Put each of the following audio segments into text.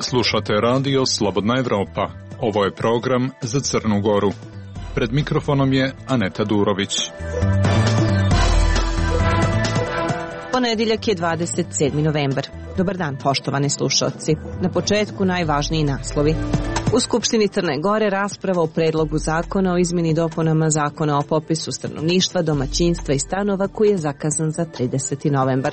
Slušate radio Slobodna Evropa. Ovo je program za Crnu Goru. Pred mikrofonom je Aneta Durović. Ponedjeljak je 27. novembar. Dobar dan, poštovani slušalci. Na početku najvažniji naslovi. U Skupštini Crne Gore rasprava o predlogu zakona o izmjeni i dopunama zakona o popisu stanovništva, domaćinstva i stanova koji je zakazan za 30. novembar.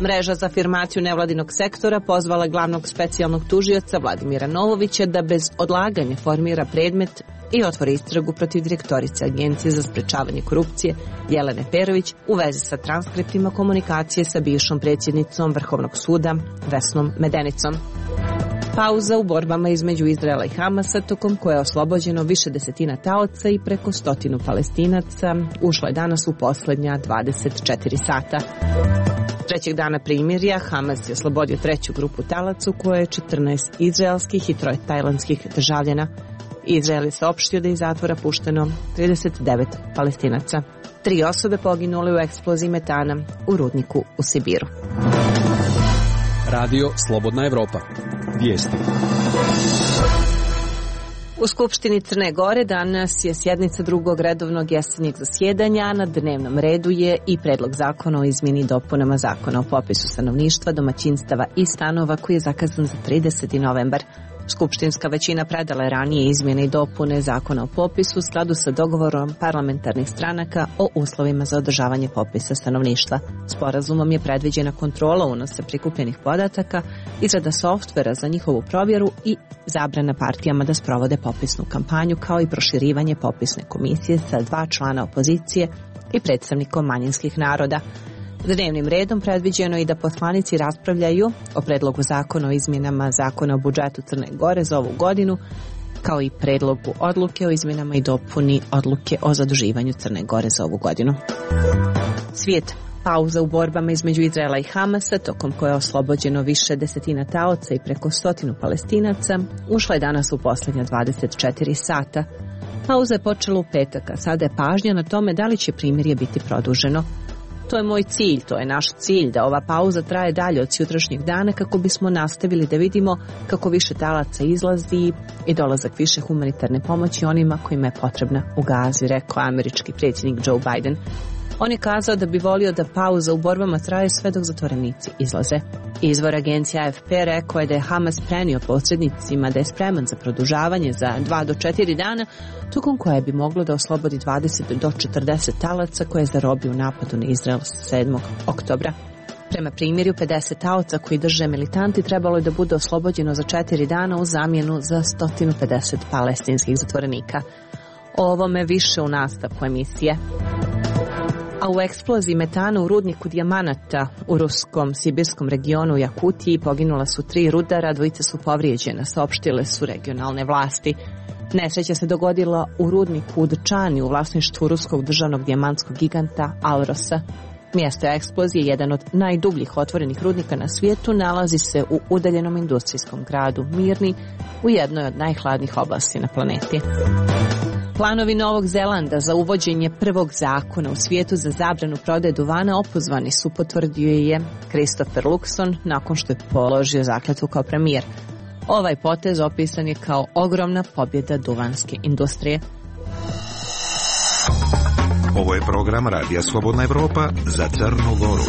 Mreža za afirmaciju nevladinog sektora pozvala glavnog specijalnog tužioca Vladimira Novovića da bez odlaganja formira predmet i otvori istragu protiv direktorice Agencije za sprečavanje korupcije Jelene Perović u vezi sa transkriptima komunikacije sa bivšom predsjednicom Vrhovnog suda Vesnom Medenicom. Pauza u borbama između Izraela i Hamasa, tokom koje je oslobođeno više desetina taoca i preko 100 Palestinaca, ušla je danas u posljednja 24 sata. Trećeg dana primirja Hamas je oslobodio treću grupu talaca u kojoj je 14 izraelskih i 3 tajlandskih državljana. Izrael je saopštio da je iz zatvora pušteno 39 Palestinaca. 3 osobe poginule u eksploziji metana u rudniku u Sibiru. Radio Slobodna Evropa. Vijesti. U Skupštini Crne Gore danas je sjednica drugog redovnog jesenjeg zasjedanja, a na dnevnom redu je i predlog zakona o izmjeni i dopunama zakona o popisu stanovništva, domaćinstava i stanova koji je zakazan za 30. novembar. Skupštinska većina predala je ranije izmjene i dopune zakona o popisu u skladu sa dogovorom parlamentarnih stranaka o uslovima za održavanje popisa stanovništva. Sporazumom je predviđena kontrola unosa prikupljenih podataka, izrada softvera za njihovu provjeru i zabrana partijama da sprovode popisnu kampanju, kao i proširivanje popisne komisije sa 2 člana opozicije i predstavnikom manjinskih naroda. Dnevnim redom predviđeno je i da poslanici raspravljaju o predlogu zakona o izmjenama zakona o budžetu Crne Gore za ovu godinu, kao i predlogu odluke o izmjenama i dopuni odluke o zaduživanju Crne Gore za ovu godinu. Svijet. Pauza u borbama između Izraela i Hamasa, tokom koje je oslobođeno više desetina taoca i preko 100 Palestinaca, ušla je danas u posljednja 24 sata. Pauza je počela u petak, a sada je pažnja na tome da li će primirje biti produženo. To je moj cilj, to je naš cilj, da ova pauza traje dalje od sutrašnjeg dana kako bismo nastavili da vidimo kako više talaca izlazi i dolazak više humanitarne pomoći onima kojima je potrebna u Gazi, rekao američki predsjednik Joe Biden. On je kazao da bi volio da pauza u borbama traje sve dok zatvorenici izlaze. Izvor agencije AFP rekao je da je Hamas prenio posrednicima da je spreman za produžavanje za 2 do 4 dana, tokom koje bi moglo da oslobodi 20 do 40 talaca koje je zarobio u napadu na Izrael 7. oktobra. Prema primjerju, 50 taoca koji drže militanti trebalo je da bude oslobođeno za 4 dana u zamjenu za 150 palestinskih zatvorenika. O ovome više u nastavku emisije. A u eksploziji metana u rudniku dijamanata u ruskom sibirskom regionu Jakutiji poginula su 3 rudara, 2 su povrijeđena, saopštile su regionalne vlasti. Nesreća se dogodila u rudniku u Dčani u vlasništvu ruskog državnog dijamantskog giganta Alrosa. Mjesto eksplozije, jedan od najdubljih otvorenih rudnika na svijetu, nalazi se u udaljenom industrijskom gradu Mirni, u jednoj od najhladnijih oblasti na planeti. Planovi Novog Zelanda za uvođenje prvog zakona u svijetu za zabranu prodaje duvana opozvani su, potvrdio je Christopher Luxon nakon što je položio zakletvu kao premijer. Ovaj potez opisan je kao ogromna pobjeda duvanske industrije. Ovo je program Radija Slobodna Evropa za Crnu Goru.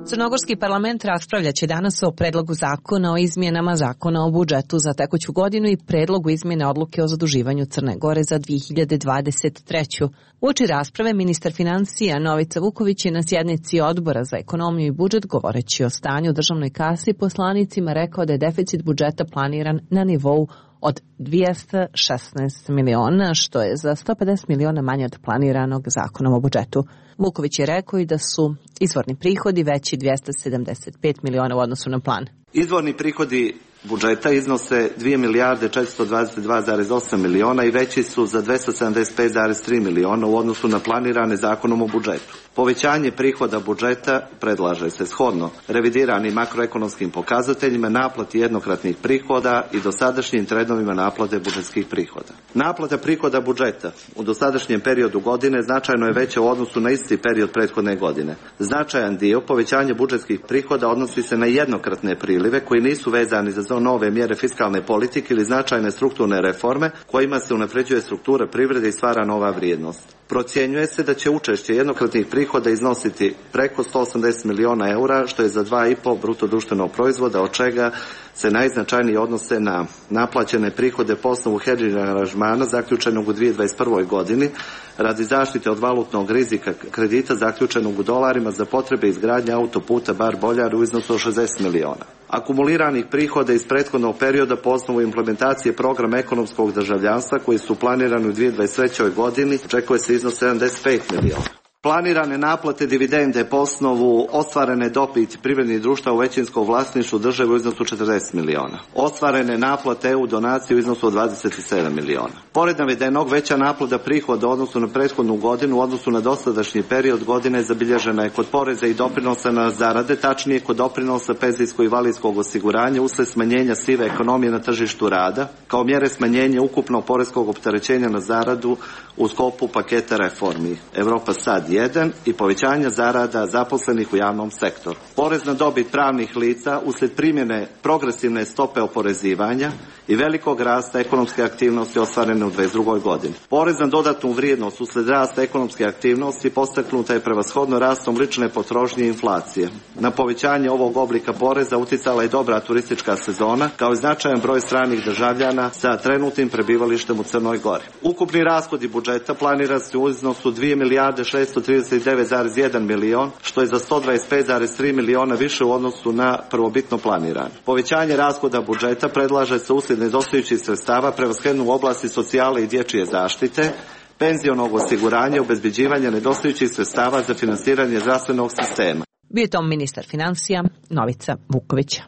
Crnogorski parlament raspravljaće danas o predlogu zakona o izmjenama zakona o budžetu za tekuću godinu i predlogu izmjene odluke o zaduživanju Crne Gore za 2023. Uoči rasprave ministar financija Novica Vuković je na sjednici Odbora za ekonomiju i budžet, govoreći o stanju u državnoj kasi, poslanicima rekao da je deficit budžeta planiran na nivou od 216 miliona, što je za 150 miliona manje od planiranog zakonom o budžetu. Vuković je rekao i da su izvorni prihodi veći 275 miliona u odnosu na plan. Izvorni prihodi budžeta iznose 2 milijarde 422,8 miliona i veći su za 275,3 miliona u odnosu na planirane zakonom o budžetu. Povećanje prihoda budžeta predlaže se shodno revidiranim makroekonomskim pokazateljima, naplati jednokratnih prihoda i dosadašnjim trendovima naplate budžetskih prihoda. Naplata prihoda budžeta u dosadašnjem periodu godine značajno je veća u odnosu na isti period prethodne godine. Značajan dio povećanja budžetskih prihoda odnosi se na jednokratne prilive koji nisu vezani za nove mjere fiskalne politike ili značajne strukturne reforme kojima se unapređuje struktura privrede i stvara nova vrijednost. Procjenjuje se da će učešće jednokratnih prihoda iznositi preko 180 miliona eura, što je za 2,5 bruto društvenog proizvoda, od čega se najznačajnije odnose na naplaćene prihode po osnovu hedžing aranžmana zaključenog u 2021. godini radi zaštite od valutnog rizika kredita zaključenog u dolarima za potrebe izgradnje autoputa Bar-Boljar u iznosu od 60 miliona. Akumuliranih prihoda iz prethodnog perioda po osnovu implementacije programa ekonomskog državljanstva koji su planirani u 2023. godini očekuje se iznos 75 miliona. Planirane naplate dividende po osnovu ostvarene dobiti privrednih društva u većinskom vlasništvu države u iznosu 40 miliona. Ostvarene naplate EU donacije u iznosu od 27 miliona. Pored navedenog, veća naplata prihoda u odnosu na prethodnu godinu u odnosu na dosadašnji period godine zabilježena je kod poreza i doprinosa na zarade, tačnije kod doprinosa penzijsko-invalidskog osiguranja usled smanjenja sive ekonomije na tržištu rada, kao mjere smanjenja ukupnog poreskog opterećenja na zaradu u sklopu paketa reformi Evropa Sad 1 i povećanja zarada zaposlenih u javnom sektoru. Porez na dobit pravnih lica uslijed primjene progresivne stope oporezivanja i velikog rasta ekonomske aktivnosti ostvarene u 2022. godini. Porez na dodatnu vrijednost uslijed rasta ekonomske aktivnosti postaknuta je prevashodno rastom lične potrošnje i inflacije. Na povećanje ovog oblika poreza uticala je dobra turistička sezona, kao i značajan broj stranih državljana sa trenutnim prebivalištem u Crnoj Gori. Ukupni rashodi budžeta planira se u iznosu 2 milijarde 639,1 milion, što je za 125,3 miliona više u odnosu na prvobitno planirano. Povećanje rashoda budžeta predlaže se uslijed nedostajućih sredstava prevashodno u oblasti socijale i dječje zaštite, penzionog osiguranja i obezbeđivanja nedostajućih sredstava za finansiranje zdravstvenog sistema. Bio je to ministar financija Novica Vuković.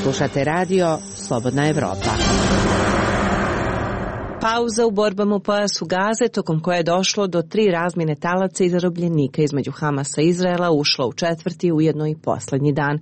Slušate radio Slobodna Evropa. Pauza u borbama u pojasu Gaze, tokom koje je došlo do 3 razmjene talaca i zarobljenika između Hamasa i Izraela, ušla u 4. ujedno i posljednji dan.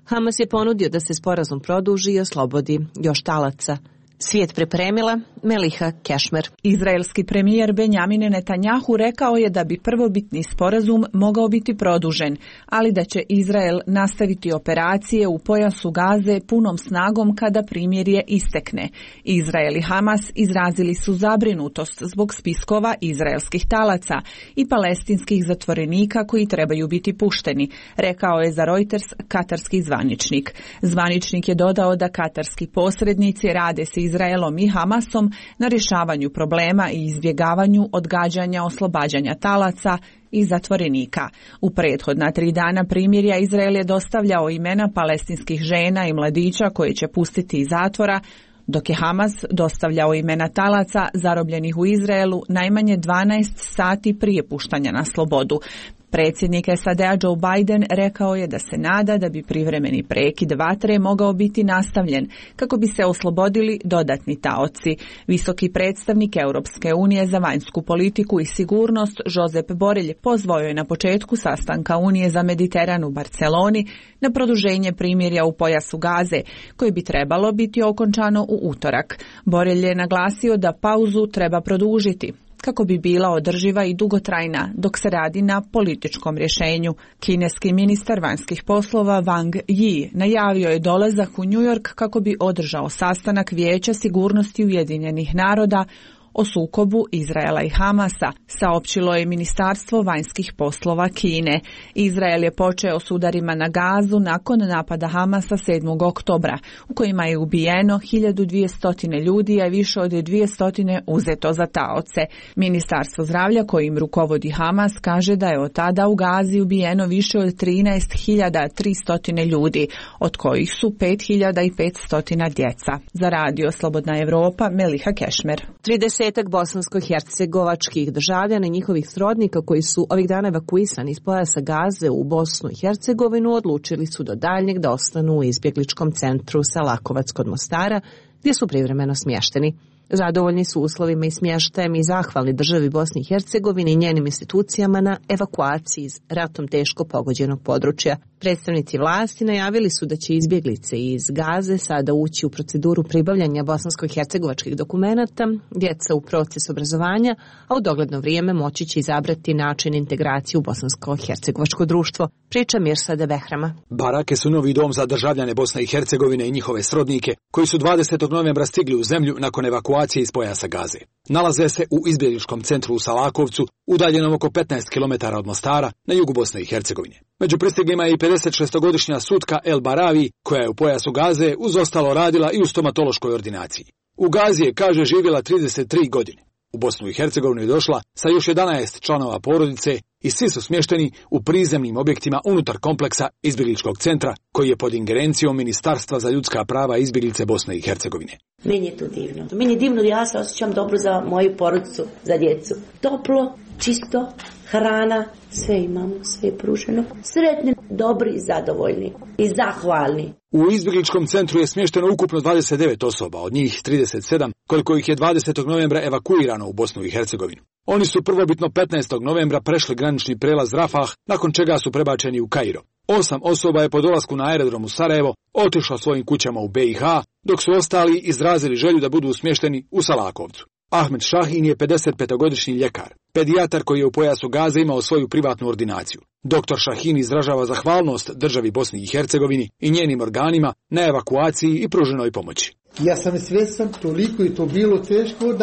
Hamas je ponudio da se sporazum produži i oslobodi još talaca. Svijet pripremila Meliha Kešmer. Izraelski premijer Benjamin Netanjahu rekao je da bi prvobitni sporazum mogao biti produžen, ali da će Izrael nastaviti operacije u pojasu Gaze punom snagom kada primirje istekne. Izrael i Hamas izrazili su zabrinutost zbog spiskova izraelskih talaca i palestinskih zatvorenika koji trebaju biti pušteni, rekao je za Reuters katarski zvaničnik. Zvaničnik je dodao da katarski posrednici rade se Izraelom i Hamasom na rješavanju problema i izbjegavanju odgađanja oslobađanja talaca i zatvorenika. U prethodna 3 dana primirja Izrael je dostavljao imena palestinskih žena i mladića koje će pustiti iz zatvora, dok je Hamas dostavljao imena talaca zarobljenih u Izraelu najmanje 12 sati prije puštanja na slobodu. Predsjednik SAD-a Joe Biden rekao je da se nada da bi privremeni prekid vatre mogao biti nastavljen kako bi se oslobodili dodatni taoci. Visoki predstavnik Europske unije za vanjsku politiku i sigurnost Josep Borrell pozvao je na početku sastanka Unije za Mediteran u Barceloni na produženje primirja u pojasu Gaze, koje bi trebalo biti okončano u utorak. Borrell je naglasio da pauzu treba produžiti kako bi bila održiva i dugotrajna dok se radi na političkom rješenju. Kineski ministar vanjskih poslova Wang Yi najavio je dolazak u New York kako bi održao sastanak Vijeća sigurnosti Ujedinjenih naroda o sukobu Izraela i Hamasa, saopćilo je Ministarstvo vanjskih poslova Kine. Izrael je počeo s udarima na Gazu nakon napada Hamasa 7. oktobra, u kojima je ubijeno 1200 ljudi, a više od 200 uzeto za taoce. Ministarstvo zdravlja kojim rukovodi Hamas kaže da je od tada u Gazi ubijeno više od 13.300 ljudi, od kojih su 5.500 djeca. Za radio Slobodna Evropa, Meliha Kešmer. 30 10-ak bosansko-hercegovačkih državljana i njihovih srodnika koji su ovih dana evakuisani iz pojasa Gaze u Bosnu i Hercegovinu odlučili su do daljnjeg da ostanu u izbjegličkom centru Salakovac kod Mostara, gdje su privremeno smješteni. Zadovoljni su uslovima i smještajem i zahvalni državi Bosni i Hercegovine i njenim institucijama na evakuaciji iz ratom teško pogođenog područja. Predstavnici vlasti najavili su da će izbjeglice iz Gaze sada ući u proceduru pribavljanja bosansko-hercegovačkih dokumenata, djeca u proces obrazovanja, a u dogledno vrijeme moći će izabrati način integracije u bosansko-hercegovačko društvo. Priča Mirsada Behrama. Barake su novi dom za državljane Bosne i Hercegovine i njihove srodnike, koji su 20. novembra stigli u zemlju nakon evakuacije iz pojasa Gaze. Nalaze se u izbjegličkom centru u Salakovcu, udaljenom oko 15 km od Mostara, na jugu Bosne i Hercegovine. Među pristiglima je i 56-godišnja Sutka El Baravi, koja je u pojasu Gaze uz ostalo radila i u stomatološkoj ordinaciji. U Gazi je, kaže, živjela 33 godine. U Bosnu i Hercegovinu je došla sa još 11 članova porodice i svi su smješteni u prizemnim objektima unutar kompleksa izbjegličkog centra koji je pod ingerencijom Ministarstva za ljudska prava i izbjeglice Bosne i Hercegovine. Meni je to divno. Meni je divno da ja se osjećam dobro za moju porodicu, za djecu. Toplo, čisto, hrana, sve imamo, sve je pruženo. Sretni, dobri i zadovoljni i zahvalni. U izbjegličkom centru je smješteno ukupno 29 osoba, od njih 37, koliko ih je 20. novembra evakuirano u Bosnu i Hercegovinu. Oni su prvobitno 15. novembra prešli granični prelaz Rafah, nakon čega su prebačeni u Kairo. 8 osoba je po dolasku na aerodrom u Sarajevo otišlo svojim kućama u BiH, dok su ostali izrazili želju da budu smješteni u Salakovcu. Ahmed Šahin je 55-godišnji ljekar, pedijatar koji je u pojasu Gaze imao svoju privatnu ordinaciju. Doktor Šahin izražava zahvalnost državi Bosni i Hercegovini i njenim organima na evakuaciji i pruženoj pomoći. Ja sam svjestan toliko i to bilo teško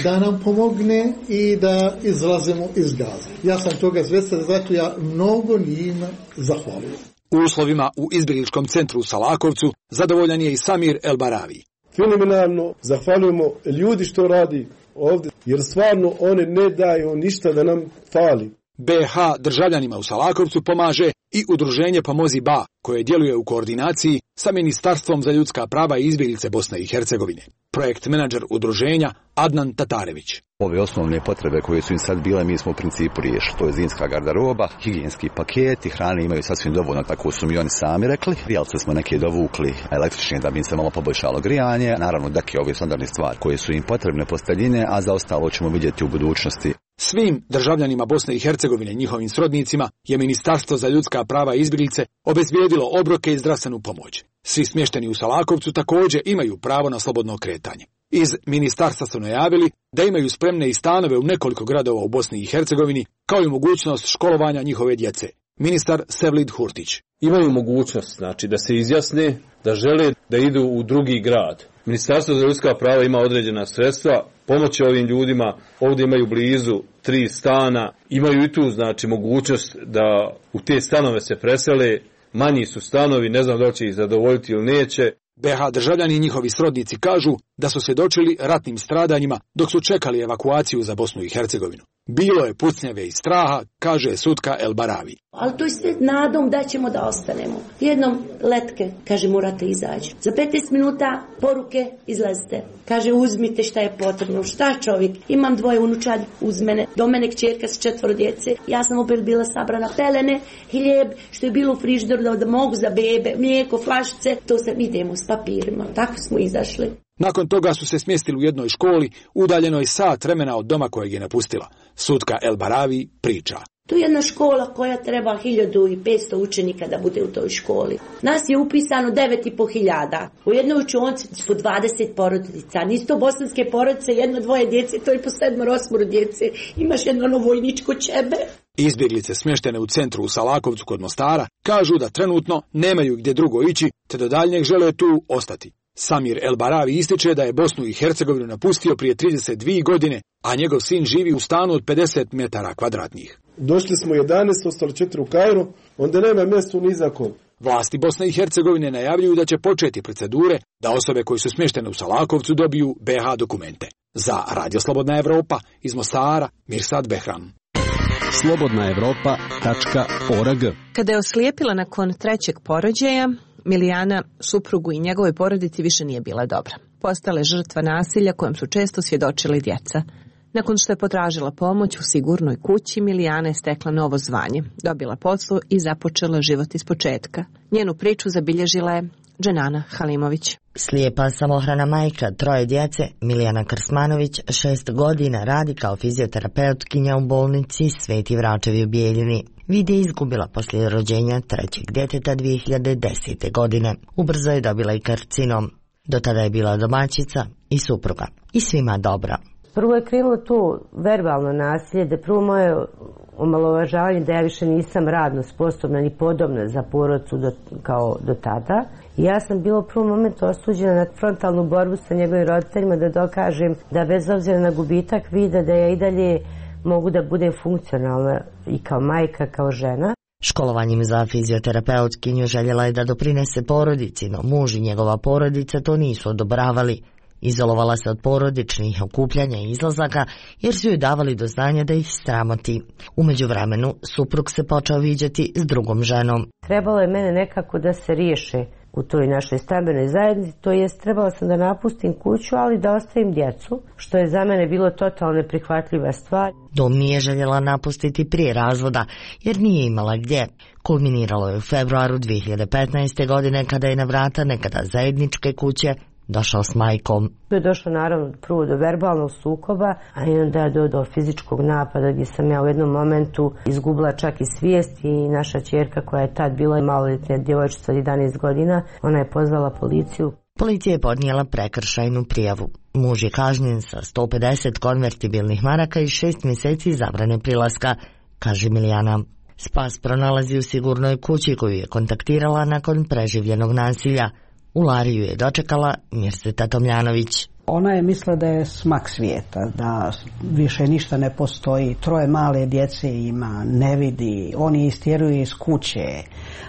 da nam pomogne i da izlazimo iz Gaze. Ja sam toga svjestan, zato ja mnogo njima zahvaljujem. U uslovima u izbjegličkom centru u Salakovcu zadovoljan je i Samir El Baravi. Fenomenalno, zahvaljujemo ljudi što radi ovdje, jer stvarno one ne daju ništa da nam fali. BH državljanima u Salakovcu pomaže i udruženje Pomozi Ba, koje djeluje u koordinaciji sa Ministarstvom za ljudska prava i izbjeglice Bosne i Hercegovine. Projekt menadžer udruženja Adnan Tatarević. Ove osnovne potrebe koje su im sad bile, mi smo u principu riješili. To je zimska garderoba, higijenski paketi, hrane imaju sasvim dovoljno, tako su mi oni sami rekli. Rijalce smo neke dovukli električne da bi im se malo poboljšalo grijanje. Naravno, dakle, ove standardne stvari koje su im potrebne, posteljine, a za ostalo ćemo vidjeti u budućnosti. Svim državljanima Bosne i Hercegovine i njihovim srodnicima je Ministarstvo za ljudska prava i izbjeglice obezbijedilo obroke i zdravstvenu pomoć. Svi smješteni u Salakovcu također imaju pravo na slobodno kretanje. Iz ministarstva su najavili da imaju spremne i stanove u nekoliko gradova u Bosni i Hercegovini, kao i mogućnost školovanja njihove djece. Ministar Sevlid Hurtić. Imaju mogućnost, znači, da se izjasne da žele da idu u drugi grad. Ministarstvo za ljudska prava ima određena sredstva, pomoći ovim ljudima, ovdje imaju blizu 3 stana, imaju i tu, znači, mogućnost da u te stanove se presele, manji su stanovi, ne znam da li će ih zadovoljiti ili neće. BH državljani i njihovi srodnici kažu da su svjedočili ratnim stradanjima dok su čekali evakuaciju za Bosnu i Hercegovinu. Bilo je pucnjave i straha, kaže Sutka El Baravi. Ali to je sve nadom da ćemo da ostanemo. Jednom letke, kaže, morate izaći. Za 15 minuta poruke, izlazite. Kaže, uzmite šta je potrebno. Šta čovjek? Imam 2 unučadi uz mene. Do mene kćerka s 4 djece. Ja sam opet bila sabrana pelene, hljeb, što je bilo u frižideru da mogu za bebe, mlijeko, flašice. To sad idemo s papirima. Tako smo izašli. Nakon toga su se smjestili u jednoj školi, udaljenoj sat vremena od doma kojeg je napustila. Sutka El Baravi priča. To je jedna škola koja treba 1500 učenika da bude u toj školi. Nas je upisano 9.500. U jednoj učionici po 20 porodica. Nisu to bosanske porodice, 1-2 djece, to je po 7-8 djece. Imaš jedno vojničko ćebe. Izbjeglice smještene u centru u Salakovcu kod Mostara kažu da trenutno nemaju gdje drugo ići, te do daljnjeg žele tu ostati. Samir El Baravi ističe da je Bosnu i Hercegovinu napustio prije 32 godine, a njegov sin živi u stanu od 50 metara kvadratnih. Došli smo 11, ostali 4 u Kairu, onda nema mjesto ni za kog. Vlasti Bosne i Hercegovine najavljuju da će početi procedure da osobe koji su smještene u Salakovcu dobiju BH dokumente. Za Radio Slobodna Evropa iz Mostara, Mirsad Behram. slobodnaevropa.org. Kada je oslijepila nakon 3. porođaja, Milijana, suprugu i njegovoj porodici više nije bila dobra. postala je žrtva nasilja kojem su često svjedočili djeca. Nakon što je potražila pomoć u sigurnoj kući, Milijana je stekla novo zvanje, dobila posao i započela život ispočetka. Njenu priču zabilježila je Dženana Halimović. Slijepa samohrana majka 3 djece, Milijana Krsmanović, 6 godina radi kao fizioterapeutkinja u bolnici Sveti Vračevi u Bijeljini. Vid je izgubila poslije rođenja 3. djeteta 2010. godine. Ubrzo je dobila i karcinom. Do tada je bila domaćica i supruga. I svima dobra. Prvo je krenulo to verbalno nasilje, da prvo moje omalovažavanje da ja više nisam radno sposobna ni podobna za porodcu kao do tada. I ja sam bila u prvom momentu osuđena na frontalnu borbu sa njegovim roditeljima da dokažem da bez obzira na gubitak vida da ja i dalje mogu da budem funkcionalna i kao majka, kao žena. Školovanjem za fizioterapeutkinju željela je da doprinese porodici, no muž i njegova porodica to nisu odobravali. Izolovala se od porodičnih okupljanja i izlazaka jer su joj davali do znanja da ih sramoti. U međuvremenu suprug se počeo viđati s drugom ženom. Trebalo je mene nekako da se riješe u toj našoj stambenoj zajednici, to jest trebala sam da napustim kuću, ali da ostavim djecu, što je za mene bilo totalno neprihvatljiva stvar. Dom nije željela napustiti prije razvoda jer nije imala gdje. Kulminiralo je u februaru 2015. godine kada je na vrata nekada zajedničke kuće došao s majkom. To je došlo naravno prvo do verbalnog sukoba, a i onda do fizičkog napada gdje sam ja u jednom momentu izgubila čak i svijest i naša ćerka koja je tad bila maloljetna djevojčica od 11 godina, ona je pozvala policiju. Policija je podnijela prekršajnu prijavu. Muž je kažnjen sa 150 konvertibilnih maraka i 6 mjeseci zabrane prilaska, kaže Milijana. Spas pronalazi u sigurnoj kući koju je kontaktirala nakon preživljenog nasilja. U Lariju je dočekala Mirseta Tomljanović. Ona je mislila da je smak svijeta, da više ništa ne postoji, 3 male djece ima, ne vidi, oni istjeruju iz kuće.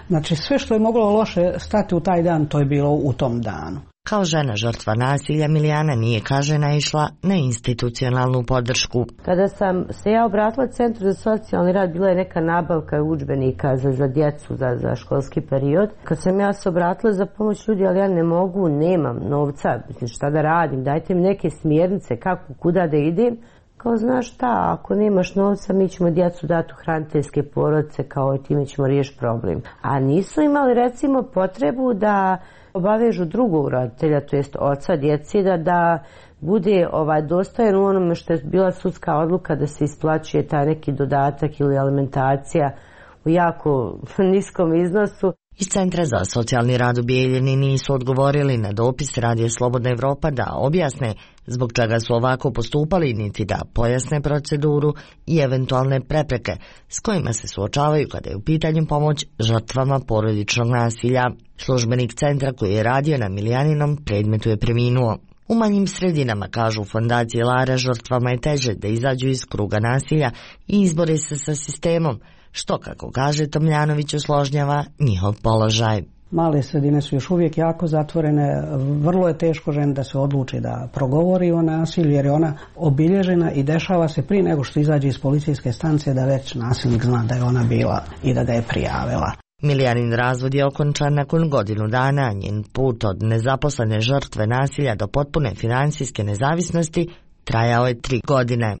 Znači sve što je moglo loše stati u taj dan, to je bilo u tom danu. Kao žena žrtva nasilja, Milijana nije, kaže, naišla na institucionalnu podršku. Kada sam se ja obratila Centru za socijalni rad, bila je neka nabavka udžbenika za djecu, za školski period. Kad sam ja se obratila za pomoć ljudi, ali ja ne mogu, nemam novca, šta da radim, dajte mi neke smjernice kako, kuda da idem. Kao, znaš šta, ako nemaš novca, mi ćemo djecu dati u hraniteljske porodice, kao i time ćemo riješiti problem. A nisu imali, recimo, potrebu da obavežu drugog roditelja, to jest oca djeci, da bude dostojan u onome što je bila sudska odluka da se isplaćuje taj neki dodatak ili alimentacija u jako niskom iznosu. Iz Centra za socijalni rad u Bijeljini nisu odgovorili na dopis Radija Slobodna Evropa da objasne zbog čega su ovako postupali, niti da pojasne proceduru i eventualne prepreke s kojima se suočavaju kada je u pitanju pomoć žrtvama porodičnog nasilja. Službenik centra koji je radio na Milijaninom predmetu je preminuo. U manjim sredinama, kažu u fondaciji Lara, žrtvama je teže da izađu iz kruga nasilja i izbore se sa sistemom, što, kako kaže Tomljanović, usložnjava njihov položaj. Male sredine su još uvijek jako zatvorene, vrlo je teško ženi da se odluči da progovori o nasilju jer je ona obilježena i dešava se prije nego što izađe iz policijske stanice da već nasilnik zna da je ona bila i da ga je prijavila. Milijanin razvod je okončan nakon godinu dana, njen put od nezaposlene žrtve nasilja do potpune financijske nezavisnosti trajao je 3 godine.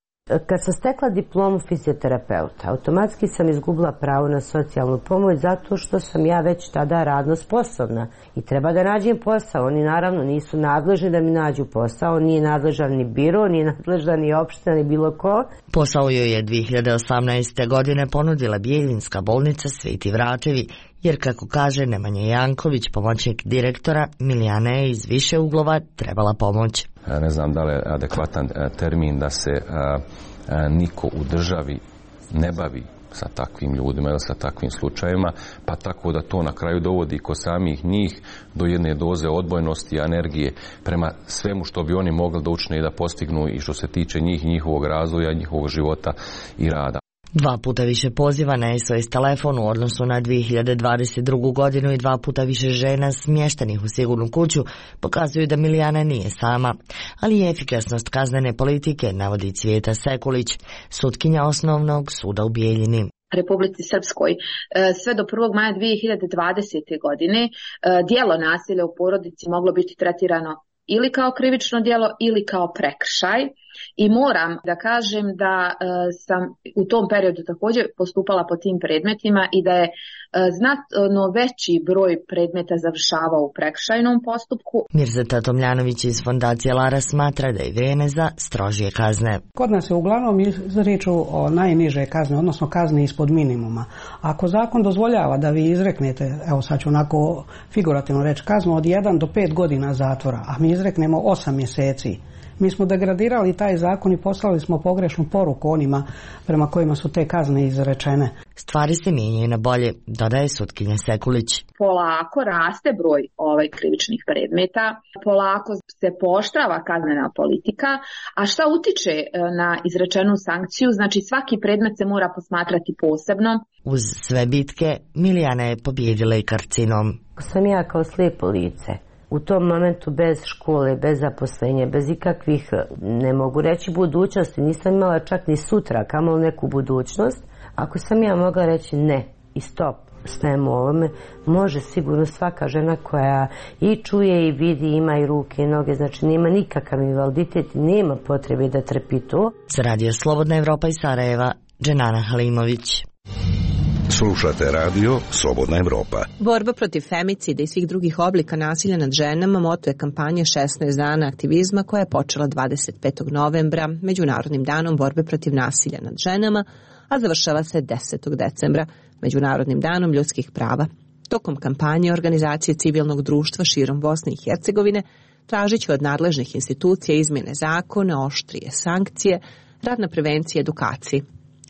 Kad sam stekla diplomu fizioterapeuta, automatski sam izgubila pravo na socijalnu pomoć zato što sam ja već tada radno sposobna i treba da nađem posao. Oni naravno nisu nadležni da mi nađu posao, nije nadležan ni biro, nije nadležan ni opština, ni bilo ko. Posao joj je 2018. godine ponudila Bijeljinska bolnica Sveti Vračevi, jer, kako kaže Nemanja Janković, pomoćnik direktora, Milijana je iz više uglova trebala pomoć. Ne znam da li je adekvatan termin da se niko u državi ne bavi sa takvim ljudima ili sa takvim slučajevima, pa tako da to na kraju dovodi kod samih njih do jedne doze odbojnosti i energije prema svemu što bi oni mogli da učine i da postignu i što se tiče njih i njihovog razvoja, njihovog života i rada. 2 puta više poziva na SOS telefon u odnosu na 2022. godinu i 2 puta više žena smještenih u sigurnu kuću pokazuju da Milijana nije sama, ali i efikasnost kaznene politike, navodi Cvijeta Sekulić, sutkinja Osnovnog suda u Bijeljini. Republici Srpskoj. Sve do 1. maja 2020. godine dijelo nasilja u porodici moglo biti tretirano ili kao krivično djelo ili kao prekršaj. I moram da kažem da sam u tom periodu također postupala po tim predmetima i da je znatno veći broj predmeta završavao u prekršajnom postupku. Mirzeta Tomljanović iz Fondacije Lara smatra da je vrijeme za strožije kazne. Kod nas je uglavnom izriču o najniže kazne, odnosno kazne ispod minimuma. Ako zakon dozvoljava da vi izreknete, evo sad ću onako figurativno reći, kaznu od 1 do 5 godina zatvora, a mi izreknemo 8 mjeseci, mi smo degradirali taj zakon i poslali smo pogrešnu poruku onima prema kojima su te kazne izrečene. Stvari se mijenjaju na bolje, dodaje sutkinja Sekulić. Polako raste broj krivičnih predmeta, polako se pooštrava kaznena politika, a šta utiče na izrečenu sankciju? Znači svaki predmet se mora posmatrati posebno. Uz sve bitke Milijana je pobijedila i karcinom. Sam ja kao slijepo lice. U tom momentu bez škole, bez zaposlenja, bez ikakvih, ne mogu reći budućnosti, nisam imala čak ni sutra kamoli neku budućnost. Ako sam ja mogla reći ne i stop, stajemo ovome, može sigurno svaka žena koja i čuje i vidi, ima i ruke i noge, znači nema nikakav invaliditet, nema potrebe da trpi to. Za Radio Slobodna Evropa iz Sarajeva, Dženana Halimović. Slušate radio Slobodna Evropa. Borba protiv femicida i svih drugih oblika nasilja nad ženama moto je kampanje 16 dana aktivizma koja je počela 25. novembra, Međunarodnim danom borbe protiv nasilja nad ženama, a završava se 10. decembra, Međunarodnim danom ljudskih prava. Tokom kampanje organizacije civilnog društva širom Bosne i Hercegovine tražit će od nadležnih institucija izmjene zakona, oštrije sankcije, rad na prevenciji i edukaciji.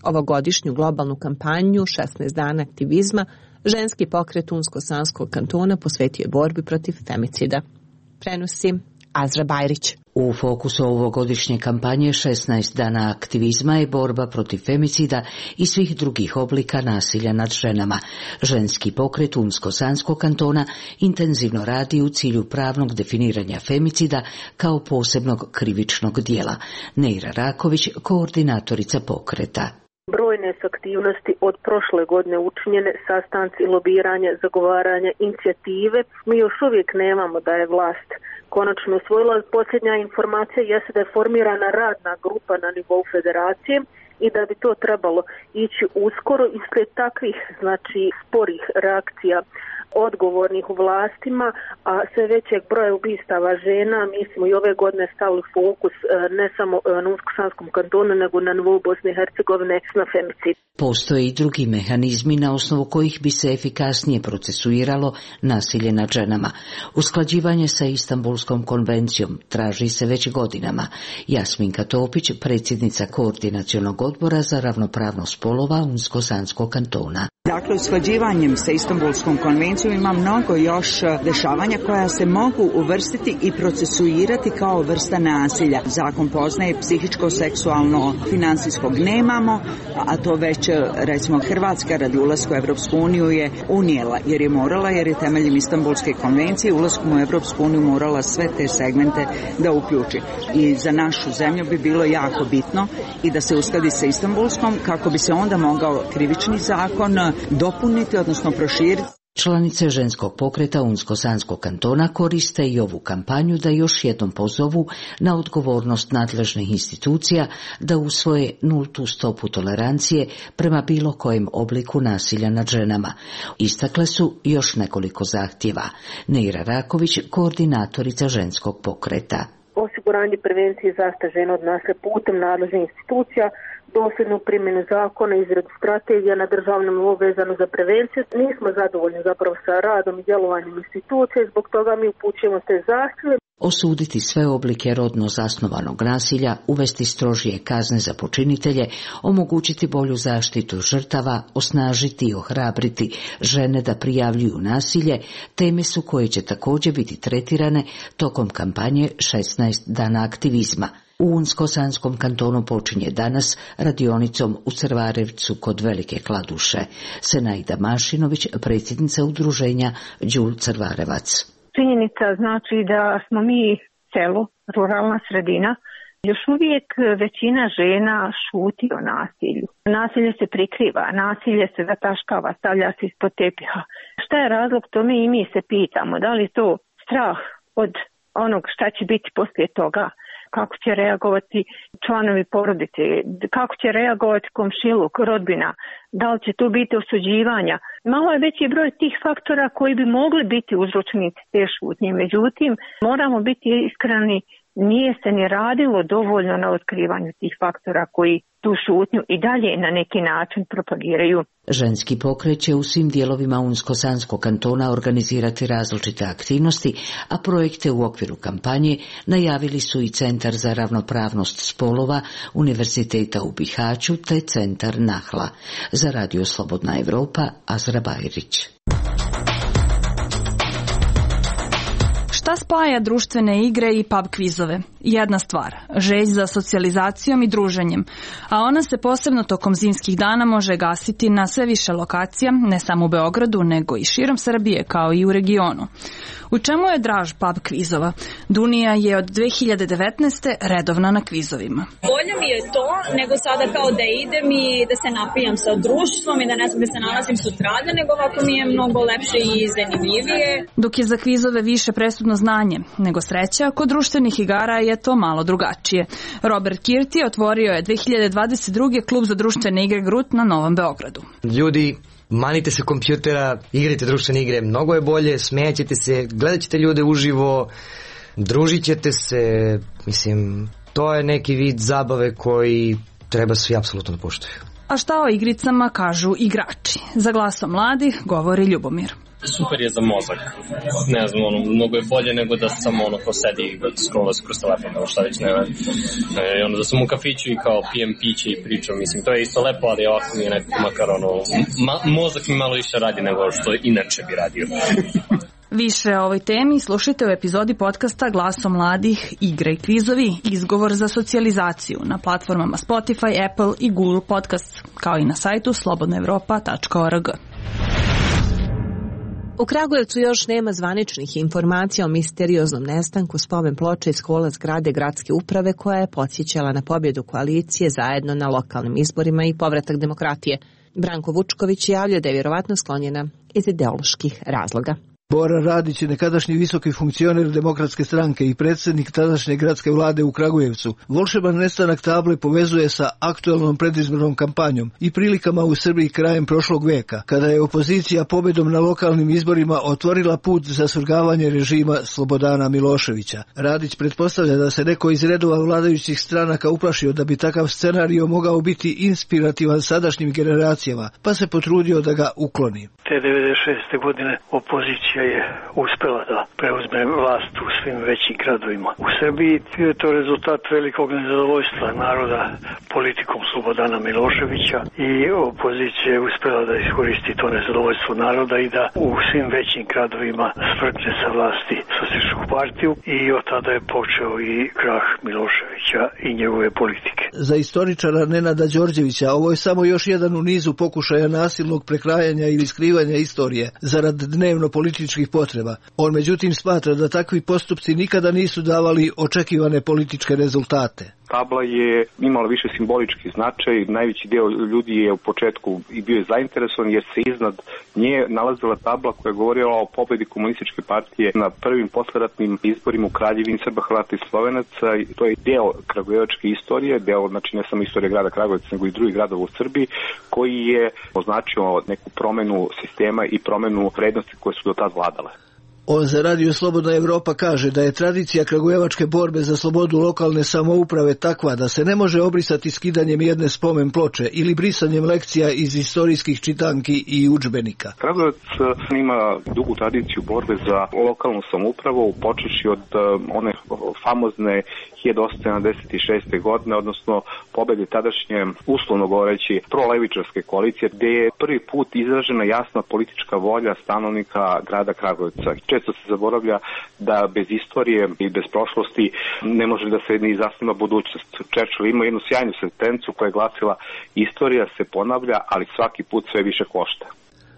Ovogodišnju globalnu kampanju 16 dana aktivizma ženski pokret Unsko-Sanskog kantona posvetio je borbi protiv femicida. Prenosi Azra Bajrić. U fokusu ovogodišnje kampanje 16 dana aktivizma je borba protiv femicida i svih drugih oblika nasilja nad ženama. Ženski pokret Unsko-Sanskog kantona intenzivno radi u cilju pravnog definiranja femicida kao posebnog krivičnog dijela. Neira Raković, koordinatorica pokreta. Brojne su aktivnosti od prošle godine učinjene, sastanci, lobiranje, zagovaranje, inicijative. Mi još uvijek nemamo da je vlast konačno usvojila. Posljednja informacija jeste da je formirana radna grupa na nivou federacije i da bi to trebalo ići uskoro. Ispred takvih, znači, sporih reakcija odgovornih u vlastima, a sve većeg broja ubistava žena, mi smo i ove godine stavili fokus ne samo na Unsko-Sanskom kantonu, nego na nivou Bosne i Hercegovine na femicid. Postoje i drugi mehanizmi na osnovu kojih bi se efikasnije procesuiralo nasilje nad ženama. Usklađivanje sa Istanbulskom konvencijom traži se već godinama. Jasminka Topić, predsjednica koordinacionog odbora za ravnopravnost spolova Unsko-Sanskog kantona. Dakle, usklađivanjem sa Istanbulskom konvencijom ima mnogo još dešavanja koja se mogu uvrstiti i procesuirati kao vrsta nasilja. Zakon poznaje psihičko, seksualno, financijskog nemamo, a to već recimo Hrvatska radi ulaska u Evropsku uniju je unijela jer je morala, jer je temeljem Istanbulske konvencije ulaskom u Evropsku uniju morala sve te segmente da uključi. I za našu zemlju bi bilo jako bitno i da se uskladi sa Istanbulskom kako bi se onda mogao krivični zakon dopuniti, odnosno proširiti. Članice ženskog pokreta Unsko-Sanskog kantona koriste i ovu kampanju da još jednom pozovu na odgovornost nadležnih institucija da usvoje nultu stopu tolerancije prema bilo kojem obliku nasilja nad ženama. Istakle su još nekoliko zahtjeva. Neira Raković, koordinatorica ženskog pokreta. Osiguranje prevencije i zaštite žena od nasilja putem nadležnih institucija, dosljednu primjenu zakona, izradu strategija na državnom nivou vezano za prevenciju. Nismo zadovoljni zapravo sa radom i djelovanjem institucija i zbog toga mi upućujemo te zahtjeve. Osuditi sve oblike rodno zasnovanog nasilja, uvesti strožije kazne za počinitelje, omogućiti bolju zaštitu žrtava, osnažiti i ohrabriti žene da prijavljuju nasilje, teme su koje će također biti tretirane tokom kampanje 16 dana aktivizma. U Unsko-Sanskom kantonu počinje danas radionicom u Crvarevcu kod Velike Kladuše. Senaida Mašinović, predsjednica udruženja Đul Crvarevac. Činjenica znači da smo mi selo, ruralna sredina, još uvijek većina žena šuti o nasilju. Nasilje se prikriva, nasilje se zataškava, stavlja se ispod tepiha. Šta je razlog tome i mi se pitamo, da li to strah od onog šta će biti poslije toga, kako će reagovati članovi porodice, kako će reagovati komšiluk, rodbina, da li će tu biti osuđivanja. Malo je veći broj tih faktora koji bi mogli biti uzročnici te šutnje. Međutim, moramo biti iskreni, nije se ni radilo dovoljno na otkrivanju tih faktora koji tu šutnju i dalje na neki način propagiraju. Ženski pokret će u svim dijelovima Unsko-Sanskog kantona organizirati različite aktivnosti, a projekte u okviru kampanje najavili su i Centar za ravnopravnost spolova Univerziteta u Bihaću te Centar Nahla. Za Radio Slobodna Evropa, Azra Bajrić. Šta spaja društvene igre i pub kvizove? Jedna stvar, želj za socijalizacijom i druženjem, a ona se posebno tokom zimskih dana može gasiti na sve više lokacija, ne samo u Beogradu, nego i širom Srbije, kao i u regionu. U čemu je draž pub kvizova? Dunija je od 2019. redovna na kvizovima. Bolje mi je to nego sada kao da idem i da se napijam sa društvom i da ne znam da se nalazim sutradan, nego ovako mi je mnogo lepše i zanimljivije. Dok je za kvizove više presudno znanje nego sreća, kod društvenih igara je to malo drugačije. Robert Kirti otvorio je 2022. klub za društvene igre Grut na Novom Beogradu. Ljudi, manite se kompjutera, igrajte društvene igre, mnogo je bolje, smejaćete se, gledat ćete ljude uživo, družit ćete se, mislim, to je neki vid zabave koji treba svi apsolutno da poštuju. A šta o igricama kažu igrači? Za Glasom mladih govori Ljubomir. Super je za mozak. Ne znam, mnogo je bolje nego da sam posedi i scrolla se kroz telefon, šta već ne vem. I da sam u kafiću i kao pijem piće i pričam, mislim, to je isto lepo, ali ovako mi je nekako makar mozak mi malo više radi nego što inače bi radio. Više o ovoj temi slušajte u epizodi podcasta Glasom mladih, igre i kvizovi, izgovor za socijalizaciju na platformama Spotify, Apple i Google Podcast, kao i na sajtu slobodnaevropa.org. U Kragujevcu još nema zvaničnih informacija o misterioznom nestanku spomen ploče iz hola zgrade gradske uprave koja je podsjećala na pobjedu koalicije zajedno na lokalnim izborima i povratak demokratije. Branko Vučković javlja da je vjerovatno sklonjena iz ideoloških razloga. Bora Radić je nekadašnji visoki funkcioner Demokratske stranke i predsjednik tadašnje gradske vlade u Kragujevcu. Volšeban nestanak table povezuje sa aktualnom predizbornom kampanjom i prilikama u Srbiji krajem prošlog veka, kada je opozicija pobjedom na lokalnim izborima otvorila put za svrgavanje režima Slobodana Miloševića. Radić pretpostavlja da se neko iz redova vladajućih stranaka uplašio da bi takav scenario mogao biti inspirativan sadašnjim generacijama, pa se potrudio da ga ukloni. Te 96. godine opozicija je uspela da preuzme vlast u svim većim gradovima. U Srbiji je to rezultat velikog nezadovoljstva naroda politikom Slobodana Miloševića i opozicija je uspela da iskoristi to nezadovoljstvo naroda i da u svim većim gradovima svrgne sa vlasti Socijalističku partiju i od tada je počeo i krah Miloševića i njegove politike. Za istoričara Nenada Đorđevića ovo je samo još jedan u nizu pokušaja nasilnog prekrajanja ili skrivanja istorije zarad dnevno političkih potreba. On međutim smatra da takvi postupci nikada nisu davali očekivane političke rezultate. Tabla je imala više simbolički značaj, najveći dio ljudi je u početku i bio je zainteresovan jer se iznad nje nalazila tabla koja je govorila o pobjedi komunističke partije na prvim posleratnim izborima u Kraljevini Srba, Hrvata i Slovenaca. To je deo kragujevačke istorije, deo, znači ne samo istorije grada Kragujevca, nego i drugih gradova u Srbiji, koji je označio neku promenu sistema i promenu vrednosti koje su do tad vladale. On za Radio Slobodna Evropa kaže da je tradicija kragujevačke borbe za slobodu lokalne samouprave takva da se ne može obrisati skidanjem jedne spomen ploče ili brisanjem lekcija iz istorijskih čitanki i udžbenika. Kragujevac ima dugu tradiciju borbe za lokalnu samoupravu, počeši od one famozne 1876. godine, odnosno pobjede tadašnje, uslovno govoreći, prolevičarske koalicije, gdje je prvi put izražena jasna politička volja stanovnika grada Kragujevca. Često se zaboravlja da bez istorije i bez prošlosti ne može da se ni zasniva budućnost. Churchill ima jednu sjajnu sentencu koja je glasila: istorija se ponavlja, ali svaki put sve više košta.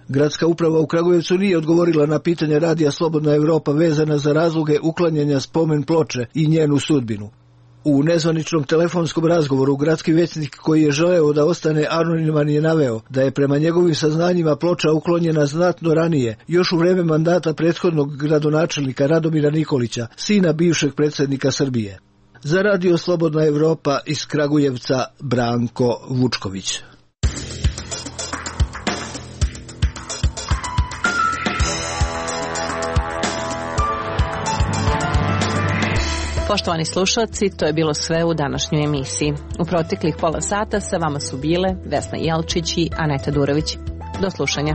Gradska uprava u Kragujevcu nije odgovorila na pitanje Radija Slobodna Evropa vezana za razloge uklanjanja spomen ploče i njenu sudbinu. U nezvaničnom telefonskom razgovoru gradski većnik koji je želeo da ostane anoniman je naveo da je prema njegovim saznanjima ploča uklonjena znatno ranije, još u vreme mandata prethodnog gradonačelnika Radomira Nikolića, sina bivšeg predsjednika Srbije. Za Radio Slobodna Evropa iz Kragujevca Branko Vučković. Poštovani slušalci, to je bilo sve u današnjoj emisiji. U proteklih pola sata sa vama su bile Vesna Jelčić i Aneta Durović. Do slušanja.